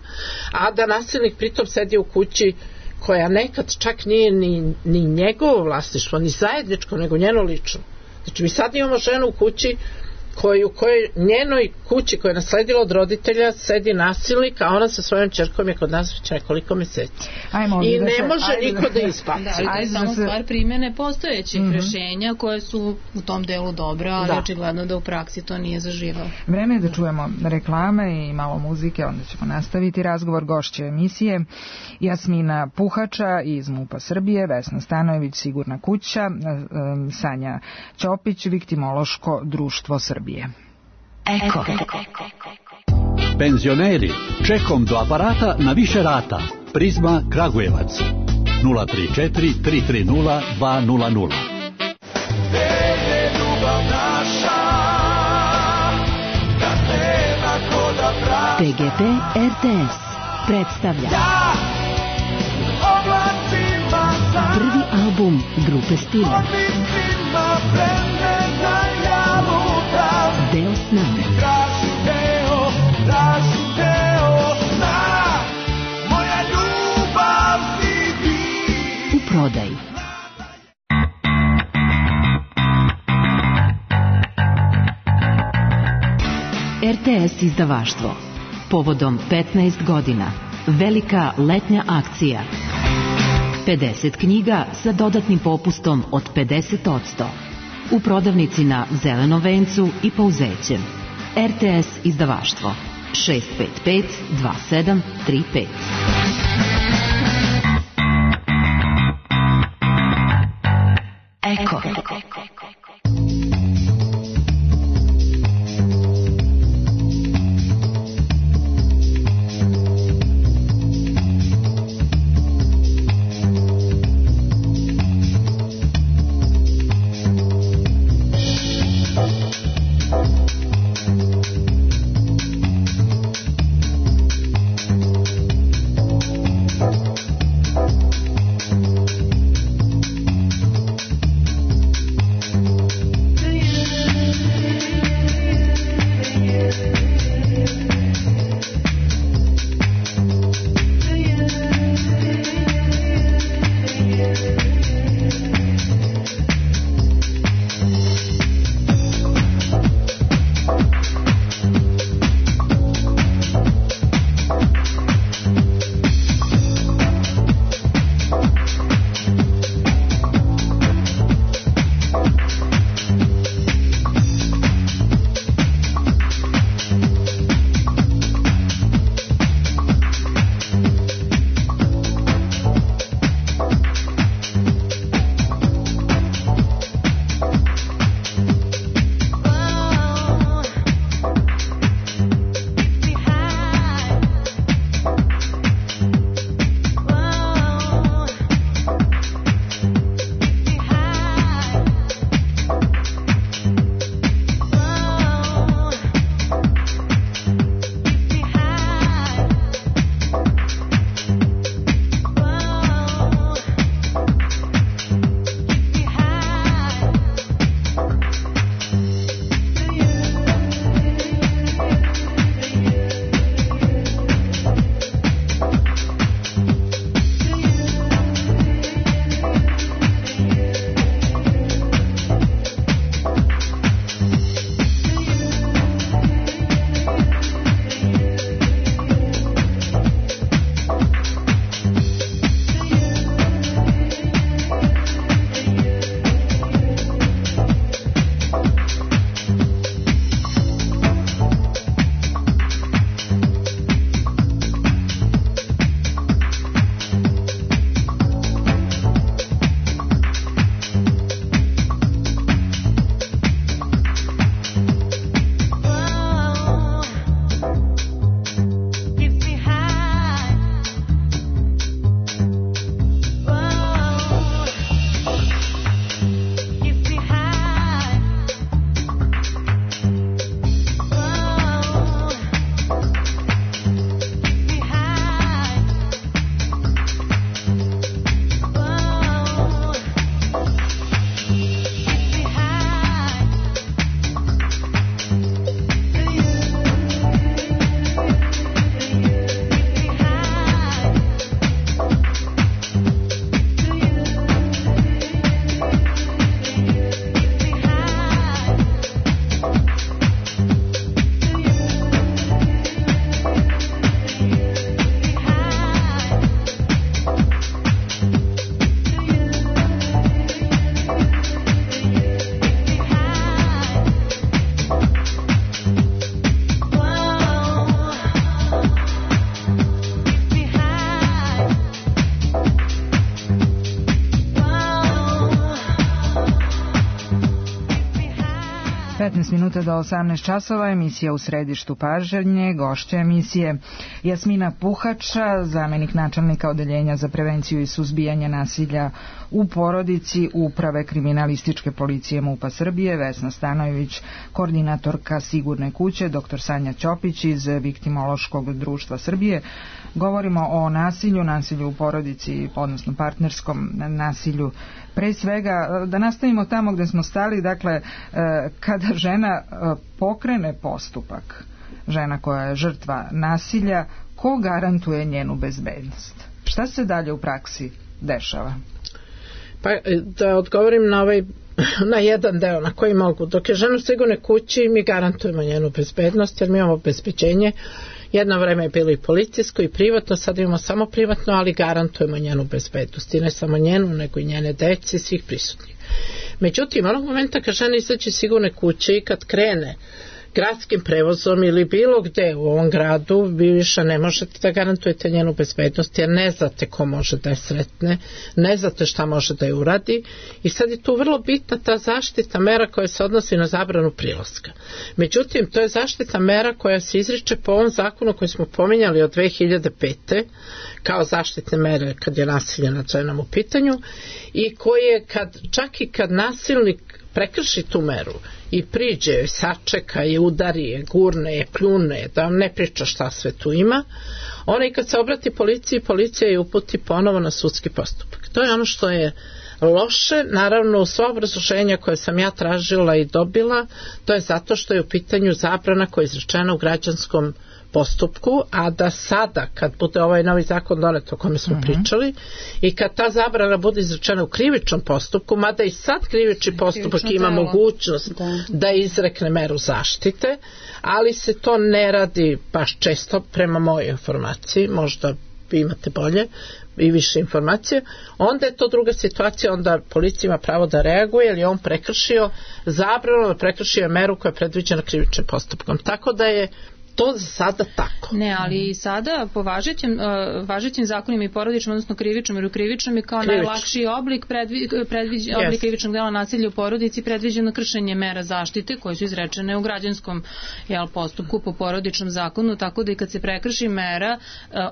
Speaker 4: a da nasilnik pritom sedi u kući koja nekad čak nije ni njegovo vlasništvo, ni zajedničko, nego njeno lično. Znači mi sad imamo ženu u kući u kojoj njenoj kući koja je nasledila od roditelja sedi nasilnik, a ona sa svojom ćerkom je kod nas već nekoliko meseci. I ne može niko da ispaci.
Speaker 5: To je samo stvar primjene postojećih rešenja koje su u tom delu dobra, ali očigledno da u praksi to nije zaživalo.
Speaker 3: Vreme je da čujemo reklame i malo muzike, onda ćemo nastaviti razgovor. Gošće emisije Jasmina Puhača iz MUP-a Srbije, Vesna Stanojević, Sigurna kuća, Sanja Ćopić, Viktimološko društvo Srbije.
Speaker 1: Eko.
Speaker 7: Penzioneri, čekom do aparata na više rata. Prizma Kragujevac 034 330 200.
Speaker 8: TGP RTS predstavlja prvi album grupe Stila. Deo sna. U prodaju. RTS izdavaštvo. Povodom 15 godina. Velika letnja akcija. 50 knjiga sa dodatnim popustom od 50%. U prodavnici na Zelenom vencu i Pouzećem. RTS izdavaštvo 655 2735.
Speaker 1: Eko.
Speaker 3: 15 minuta do 18 časova, emisija U središtu pažnje, gošća emisije Jasmina Puhača, zamenik načelnika Odeljenja za prevenciju i suzbijanje nasilja u porodici Uprave kriminalističke policije MUP-a Srbije, Vesna Stanojević, koordinatorka Sigurne kuće, dr. Sanja Ćopić iz Viktimološkog društva Srbije. Govorimo o nasilju u porodici, odnosno partnerskom nasilju. Pre svega, da nastavimo tamo gde smo stali, dakle, kada žena pokrene postupak, žena koja je žrtva nasilja, ko garantuje njenu bezbednost? Šta se dalje u praksi dešava?
Speaker 4: Pa da odgovorim na jedan deo na koji mogu. Dok je žena u Sigurnoj kući, mi garantujemo njenu bezbednost, jer mi imamo obezbeđenje. Jedno vreme je bilo i policijsko i privatno, sad imamo samo privatno, ali garantujemo njenu bezbednost. I ne samo njenu, nego i njene dece i svih prisutnih. Međutim, onog momenta kad žena izađe iz Sigurne kuće i kad krene gradskim prevozom ili bilo gde u ovom gradu, vi više ne možete da garantujete njenu bezbednost, jer ne znate ko može da je sretne, ne znate šta može da je uradi, i sad je tu vrlo bitna ta zaštita mera koja se odnosi na zabranu prilaska. Međutim, to je zaštita mera koja se izriče po ovom zakonu koji smo pominjali od 2005. kao zaštitne mere kad je nasilje nad ženama u pitanju, i koje čak i kad nasilnik prekrši tu meru i priđe, sačeka je, udari je, gurne je, pljune, da vam ne priča šta sve tu ima, ona i kad se obrati policiji, policija je uputi ponovo na sudski postupak. To je ono što je loše. Naravno, u sva obrazloženja koje sam ja tražila i dobila, to je zato što je u pitanju zabrana koja je izrečena u građanskom postupku, a da sada kad bude ovaj novi zakon donet o kome smo pričali i kad ta zabrana bude izrečena u krivičnom postupku, mada i sad krivični postupak ima mogućnost da izrekne meru zaštite, ali se to ne radi baš često prema mojoj informaciji, možda vi imate bolje i više informacije, onda je to druga situacija, onda policija ima pravo da reaguje, jer je on prekršio zabranu, prekršio meru koja je predviđena krivičnim postupkom. Tako da je to za sada tako.
Speaker 5: Ne, ali sada po važećim zakonima i porodičnom, odnosno krivičnom, jer u krivičnom je kao najlakši oblik oblik krivičnog dela nasilja u porodici predviđeno kršenje mera zaštite koje su izrečene u građanskom postupku po porodičnom zakonu, tako da i kad se prekrši mera,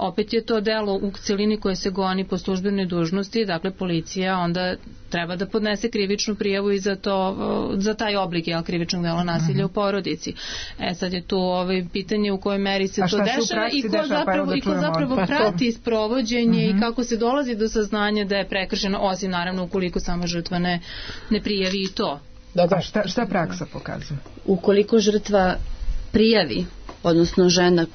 Speaker 5: opet je to delo u celini koje se goni po službenoj dužnosti, dakle policija onda treba da podnese krivičnu prijavu i za taj oblik krivičnog dela nasilja u porodici. Sad je tu pitanje u kojoj meri se to dešava i ko zapravo prati sprovođenje i kako se dolazi do saznanja da je prekršeno, osim naravno ukoliko sama žrtva ne prijavi i to.
Speaker 3: Da. Šta praksa pokazuje?
Speaker 6: Ukoliko žrtva prijavi, odnosno žena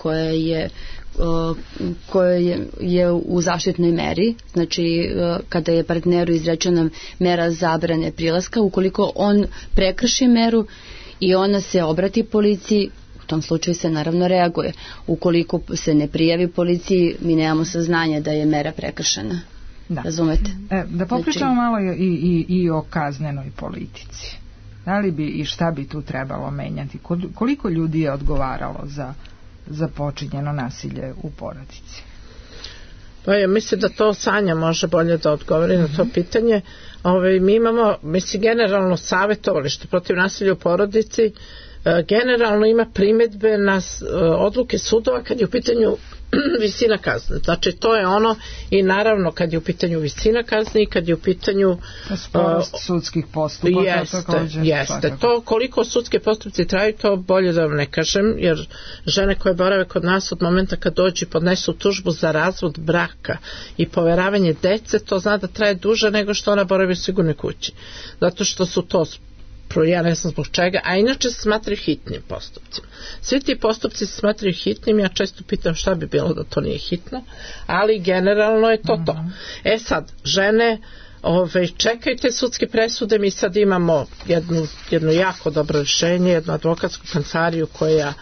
Speaker 6: koja je u zaštitnoj meri, znači kada je partneru izrečena mera zabrane prilaska, ukoliko on prekrši meru i ona se obrati policiji, u tom slučaju se naravno reaguje. Ukoliko se ne prijavi policiji, mi nemamo saznanja da je mera prekršena. Razumete?
Speaker 3: Da popričamo malo i o kaznenoj politici. Da li bi i šta bi tu trebalo menjati? Koliko ljudi je odgovaralo za počinjeno nasilje u porodici?
Speaker 4: Pa ja mislim da to Sanja može bolje da odgovori na to pitanje. Mi imamo, generalno savjetovalište protiv nasilja u porodici, generalno ima primedbe na odluke sudova kad je u pitanju visina kazne. Znači to je ono, i naravno kad je u pitanju visina kazne i kad je u pitanju
Speaker 3: sporost sudskih postupaka.
Speaker 4: Jeste. To koliko sudske postupci traju, to bolje da vam ne kažem, jer žene koje borave kod nas od momenta kad dođu i podnesu tužbu za razvod braka i poveravanje dece, to zna da traje duže nego što ona boravi u Sigurnoj kući. Zato što su to, ja ne znam zbog čega, a inače se smatraju hitnim postupcima. Svi ti postupci se smatraju hitnim, ja često pitam šta bi bilo da to nije hitno, ali generalno je to to. Sad, žene čekajte sudske presude, mi sad imamo jedno jako dobro rješenje, jednu advokatsku kancelariju koja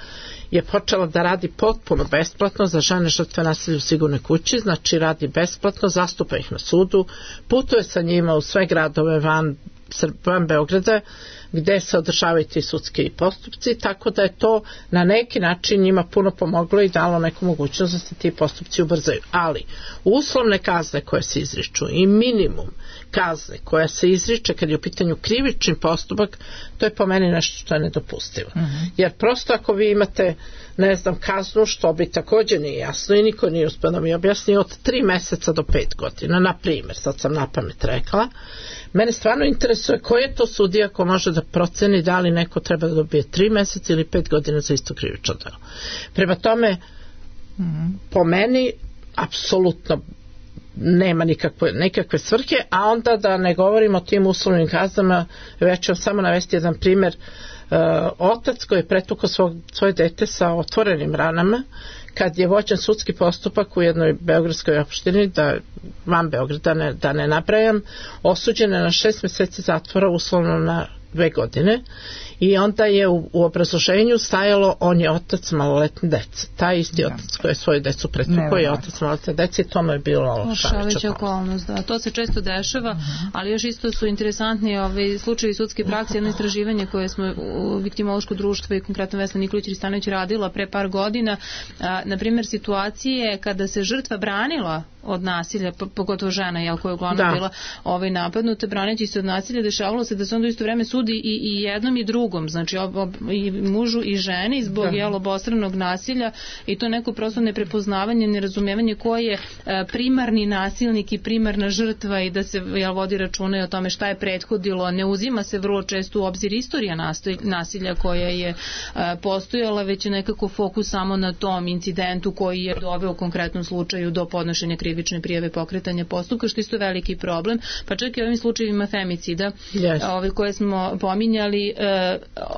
Speaker 4: je počela da radi potpuno besplatno za žene žrtve nasilja u Sigurnoj kući, znači radi besplatno, zastupa ih na sudu, putuje sa njima u sve gradove van van Beograda gde se održavaju ti sudski postupci, tako da je to na neki način njima puno pomoglo i dalo neku mogućnost da se ti postupci ubrzaju. Ali uslovne kazne koje se izriču i minimum kazne koja se izriče kad je u pitanju krivični postupak, to je po meni nešto što je nedopustivo. Jer prosto ako vi imate, ne znam, kaznu, što bi također nije jasno i niko nije uspio da mi objasni, od 3 meseca do 5 godina, na primjer, sad sam napamet rekla, mene stvarno interesuje koji je to sudija ko može da proceni da li neko treba da dobije 3 meseca ili 5 godina za isto krivično delo. Prema tome, po meni, apsolutno nema nikakve svrhe, a onda da ne govorimo o tim uslovnim kaznama, već ću samo navesti jedan primjer. Otac koji je pretukao svoje dete sa otvorenim ranama, kad je vođen sudski postupak u jednoj beogradskoj opštini, van Beograda, da ne nabrajam, osuđen je na 6 meseci zatvora, uslovno na 2 godine, i onda je u obrazloženju stajalo on je otac maloletne dece. Taj isti otac koji je svoju decu pretukao je otac maloletne dece i to mu je bilo olakšavajuća okolnost.
Speaker 5: Da, to se često dešava, ali još isto su interesantni slučajevi sudske prakse, jedno istraživanje koje smo u Viktimološko društvo i konkretno Vesna Nikolić-Ristanović radila pre par godina, na primjer situacije kada se žrtva branila od nasilja, pogotovo žena koja je uglavnom bila napadnuta, braneći se od nasilja, dešavalo se da se onda isto vreme sudi i jednom i drugom, znači i mužu i ženi zbog obostranog nasilja, i to neko prosto neprepoznavanje, nerazumevanje ko je primarni nasilnik i primarna žrtva i da se vodi računa o tome šta je prethodilo. Ne uzima se vrlo često u obzir istorija nasilja koja je postojala, već je nekako fokus samo na tom incidentu koji je doveo u konkretnom slučaju do podnošenja krivične prijave, pokretanja postupka, što isto veliki problem, pa čak i ovim slučajevima femicida koje smo pominjali,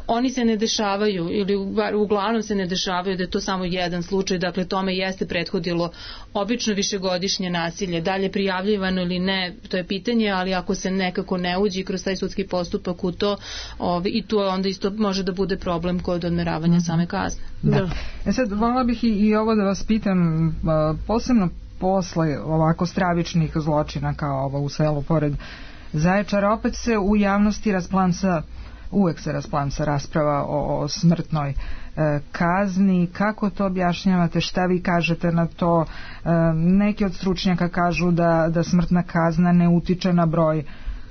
Speaker 5: oni se ne dešavaju ili uglavnom se ne dešavaju da je to samo jedan slučaj, dakle tome jeste prethodilo obično višegodišnje nasilje, dalje prijavljivano ili ne, to je pitanje, ali ako se nekako ne uđi kroz taj sudski postupak u to, i to onda isto može da bude problem kod odmeravanja same kazne.
Speaker 3: Sad, volila bih i ovo da vas pitam, posebno posle ovako stravičnih zločina kao ovo u selu pored Zaječara, opet se u javnosti uvek se rasplamsa rasprava o smrtnoj kazni. Kako to objašnjavate? Šta vi kažete na to? Neki od stručnjaka kažu da smrtna kazna ne utiče na broj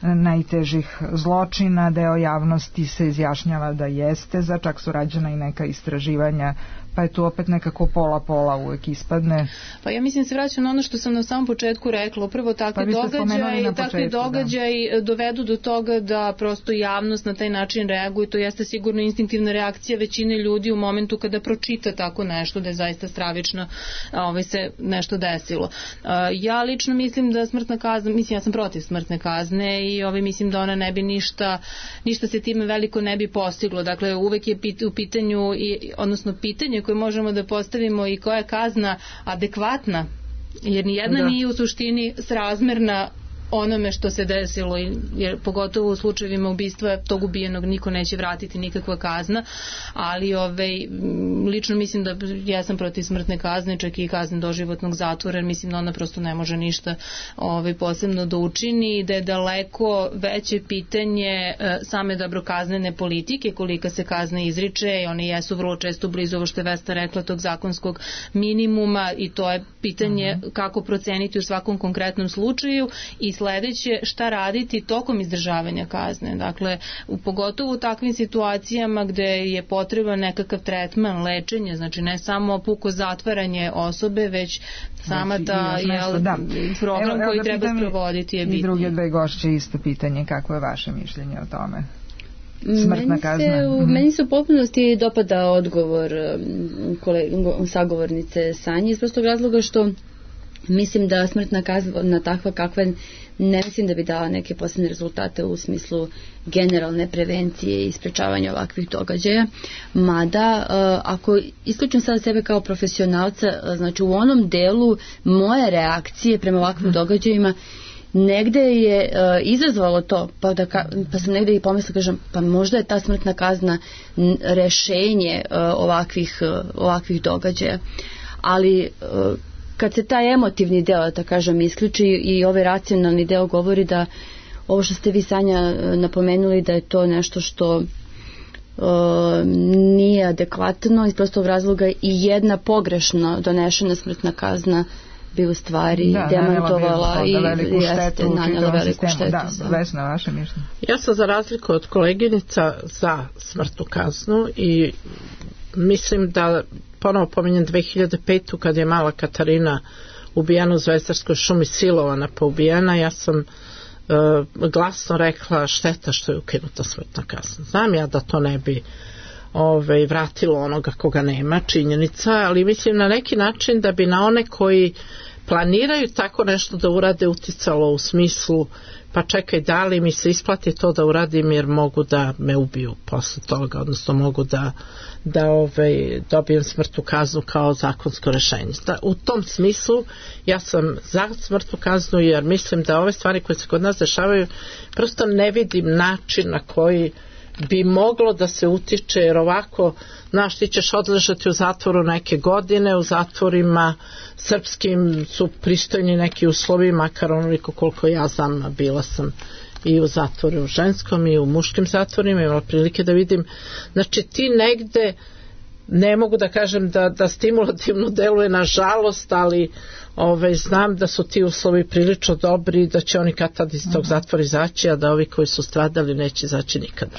Speaker 3: najtežih zločina, deo javnosti se izjašnjava da jeste, čak su rađena i neka istraživanja, pa je tu opet nekako pola uvek ispadne.
Speaker 5: Pa ja mislim se vraćam na ono što sam na samom početku rekla, upravo takvi događaji dovedu do toga da prosto javnost na taj način reaguje, to jeste sigurno instinktivna reakcija većine ljudi u momentu kada pročita tako nešto, da je zaista stravično se nešto desilo. Ja lično mislim da smrtna kazna, ja sam protiv smrtne kazne i mislim da ona ne bi ništa se time veliko ne bi postiglo. Dakle, uvek je u pitanju, odnosno pitanje koje možemo da postavimo i koja je kazna adekvatna, jer nijedna nije u suštini srazmerna onome što se desilo, jer pogotovo u slučajevima ubistva tog ubijenog niko neće vratiti nikakva kazna, ali lično mislim da ja sam protiv smrtne kazne, čak i kazne doživotnog zatvora, jer mislim da ona prosto ne može ništa posebno da učini i da je daleko veće pitanje same dobrokaznene politike, kolika se kazna izriče, i one jesu vrlo često blizu, ovo što je Vesta rekla, tog zakonskog minimuma, i to je pitanje kako proceniti u svakom konkretnom slučaju, i sledeće, šta raditi tokom izdržavanja kazne. Dakle, pogotovo u takvim situacijama gde je potreban nekakav tretman, lečenje, znači ne samo puko zatvaranje osobe, već sama ta program koji treba sprovoditi je bitno. I
Speaker 3: druge dve gošće isto pitanje, kako je vaše mišljenje o tome? Smrtna kazna.
Speaker 6: Meni se u potpunosti dopada odgovor sagovornice Sanje, iz prostog razloga što mislim da smrtna kazna takva kakva ne mislim da bi dala neke posebne rezultate u smislu generalne prevencije i sprečavanja ovakvih događaja. Mada, ako isključim sad sebe kao profesionalca, znači u onom delu moje reakcije prema ovakvim događajima negde je izazvalo to, pa sam negde i pomislila, kažem, pa možda je ta smrtna kazna rešenje ovakvih događaja. Ali kad se taj emotivni deo, da kažem, isključi i ovaj racionalni deo govori da ovo što ste vi, Sanja, napomenuli da je to nešto što nije adekvatno iz prostog razloga i jedna pogrešno donešena smrtna kazna bi u stvari demantovala i jeste nanjela veliku štetu.
Speaker 3: Da, Vesna, vaše mišljenje?
Speaker 4: Ja sam za razliku od koleginica za smrtnu kaznu i mislim da ponovo pominjem 2005. kad je mala Katarina ubijena u Zvezdarskoj šumi, silovana pa ubijena, ja sam glasno rekla šteta što je ukinuta smrtna kazna. Znam ja da to ne bi vratilo onoga koga nema, činjenica, ali mislim na neki način da bi na one koji planiraju tako nešto da urade uticalo u smislu pa čekaj, da li mi se isplati to da uradim jer mogu da me ubiju posle toga, odnosno mogu da dobijem smrtnu kaznu kao zakonsko rešenje. U tom smislu ja sam za smrtnu kaznu jer mislim da ove stvari koje se kod nas dešavaju prosto ne vidim način na koji bi moglo da se utiče, jer ovako, znaš, ti ćeš odležati u zatvoru neke godine, u zatvorima srpskim su pristojni neki uslovi, makar onoliko koliko ja znam, bila sam i u zatvoru u ženskom i u muškim zatvorima, imala prilike da vidim, znači ti negde, ne mogu da kažem da stimulativno deluje na žalost, ali znam da su ti uslovi prilično dobri i da će oni kad tad iz tog zatvora izaći, a da ovi koji su stradali neće izaći nikada.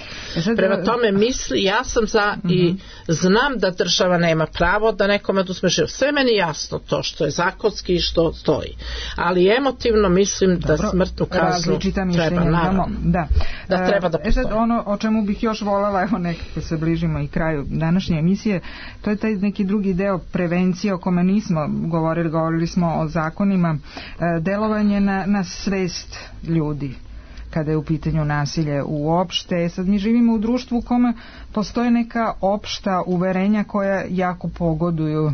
Speaker 4: Prema tome ja sam za i znam da država nema pravo da nekome oduzme život. Sve meni jasno to što je zakonski i što stoji. Ali emotivno mislim da smrtnu kaznu treba, naravno, da treba da postoji.
Speaker 3: Ono o čemu bih još voljela, evo nekako se bližimo i kraju današnje emisije, to je taj neki drugi deo prevencije o kome nismo govorili smo o zakonima, delovanje na svest ljudi kada je u pitanju nasilje uopšte. Sad mi živimo u društvu u kome postoje neka opšta uverenja koja jako pogoduju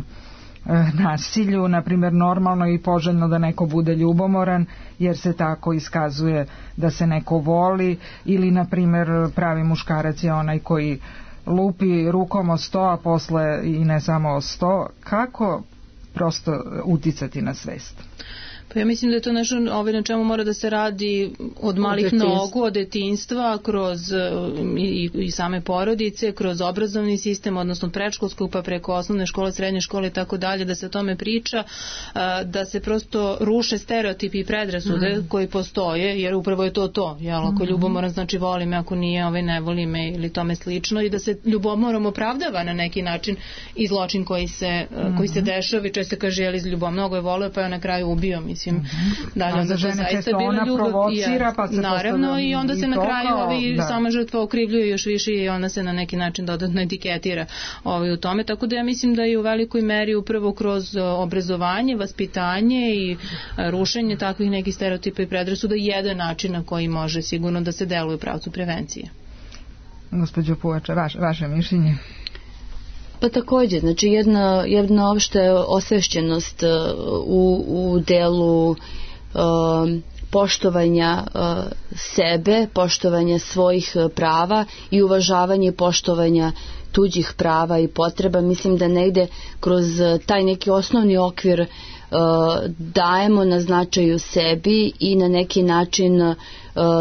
Speaker 3: nasilju, na primjer normalno i poželjno da neko bude ljubomoran jer se tako iskazuje da se neko voli, ili na primjer pravi muškarac je onaj koji lupi rukom o sto, a posle i ne samo o sto. Kako prosto uticati na svest?
Speaker 5: Pa ja mislim da je to nešto na čemu mora da se radi od malih nogu, od detinjstva, kroz i same porodice, kroz obrazovni sistem, odnosno predškolskog pa preko osnovne škole, srednje škole i tako dalje, da se o tome priča, da se prosto ruše stereotipi i predrasude koji postoje, jer upravo je to. Ako ljubomoran znači voli me, ako nije ne voli me ili tome slično, i da se ljubomorom opravdava na neki način i zločin koji se dešava i često kaže jel iz ljubav mnogo je voleo pa je na kraju ubio, mislim.
Speaker 3: A za žene često ona provocira pa se
Speaker 5: naravno i onda se na kraju sama žrtva okrivljuje još više i ona se na neki način dodatno etiketira u tome, tako da ja mislim da je u velikoj meri upravo kroz obrazovanje, vaspitanje i rušenje takvih nekih stereotipa i predrasuda jedan način na koji može sigurno da se deluje u pravcu prevencije.
Speaker 3: Gospođo Puvača, vaše mišljenje?
Speaker 6: Pa također, znači jedna opšta osvešćenost u delu poštovanja sebe, poštovanja svojih prava i uvažavanje i poštovanja tuđih prava i potreba. Mislim da negde kroz taj neki osnovni okvir dajemo na značaju sebi i na neki način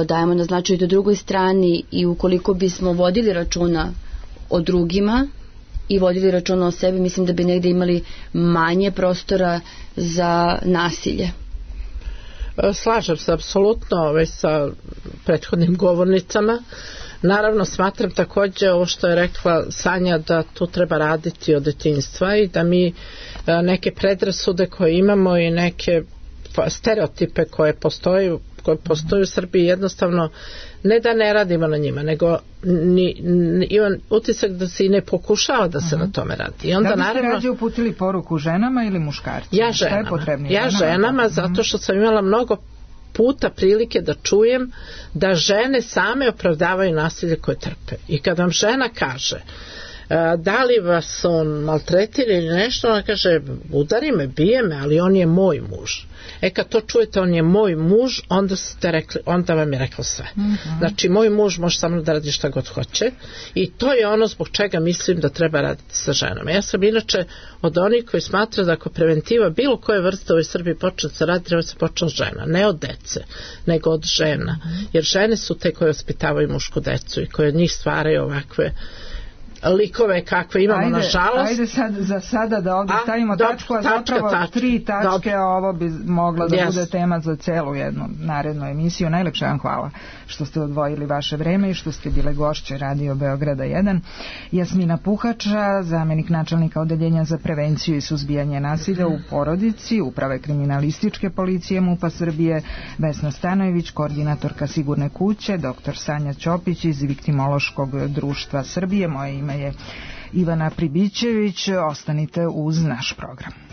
Speaker 6: dajemo na značaju do drugoj strani, i ukoliko bismo vodili računa o drugima i vodili računa o sebi, mislim da bi negde imali manje prostora za nasilje.
Speaker 4: Slažem se apsolutno sa prethodnim govornicama. Naravno smatram također ovo što je rekla Sanja, da tu treba raditi od detinjstva i da mi neke predrasude koje imamo i neke stereotipe koje postoje u Srbiji jednostavno ne da ne radimo na njima, nego imam utisak da se i ne pokušava da se na tome radi. I onda,
Speaker 3: da biste rađe uputili poruku ženama ili muškarcima?
Speaker 4: Ja ženama, zato što sam imala mnogo puta prilike da čujem da žene same opravdavaju nasilje koje trpe. I kad vam žena kaže da li vas on maltretira ili nešto, ona kaže udari me, bije me, ali on je moj muž. Kad to čujete, on je moj muž, onda vam je rekao sve. Znači moj muž može samo da radi šta god hoće i to je ono zbog čega mislim da treba raditi sa ženama. Ja sam inače od onih koji smatra da ako preventiva bilo koje vrste u ovoj Srbiji počne se radi, treba se počne od žena, ne od dece, nego od žena, jer žene su te koje ospitavaju mušku decu i koje od njih stvaraju ovakve likove kakve imamo nažalost.
Speaker 3: Ajde za sada da ovdje stavimo tačku, a zapravo 3 tačke, a ovo bi mogla da bude tema za celu jednu narednu emisiju. Najlepše vam hvala što ste odvojili vaše vreme i što ste bile gošće Radio Beograda 1. Jasmina Puhača, zamenik načelnika Odeljenja za prevenciju i suzbijanje nasilja u porodici Uprave kriminalističke policije MUP-a Srbije, Vesna Stanojević, koordinatorka Sigurne kuće, dr. Sanja Ćopić iz Viktimološkog društva Srbije. Moje ime je Ivana Pribićević. Ostanite uz naš program.